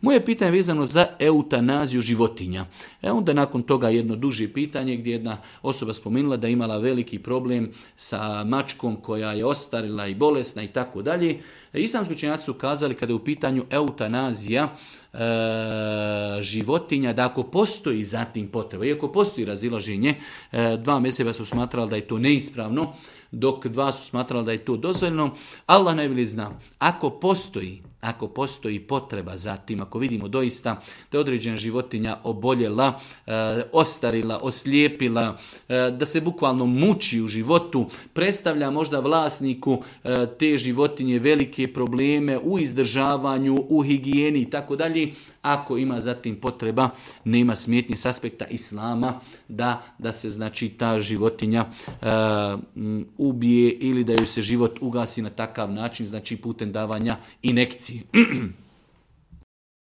Moje pitanje je vezano za eutanaziju životinja. Onda nakon toga jedno duže pitanje gdje jedna osoba spomenula da je imala veliki problem sa mačkom koja je ostarila i bolesna i tako dalje. Islamski učenjaci su kazali kada je u pitanju eutanazija životinja, da ako postoji zatim potreba, iako postoji razilaženje, dva mezheba su smatrali da je to neispravno, dok dva su smatrali da je to dozvoljeno. Allah najbolje zna. Ako postoji potreba za tim, ako vidimo doista da je određena životinja oboljela, ostarila, oslijepila, da se bukvalno muči u životu, predstavlja možda vlasniku te životinje velike probleme u izdržavanju, u higijeni i tako dalje, ako ima zatim potreba, nema smetnje s aspekta islama da se znači ta životinja ubije ili da joj se život ugasi na takav način, znači putem davanja injekcije.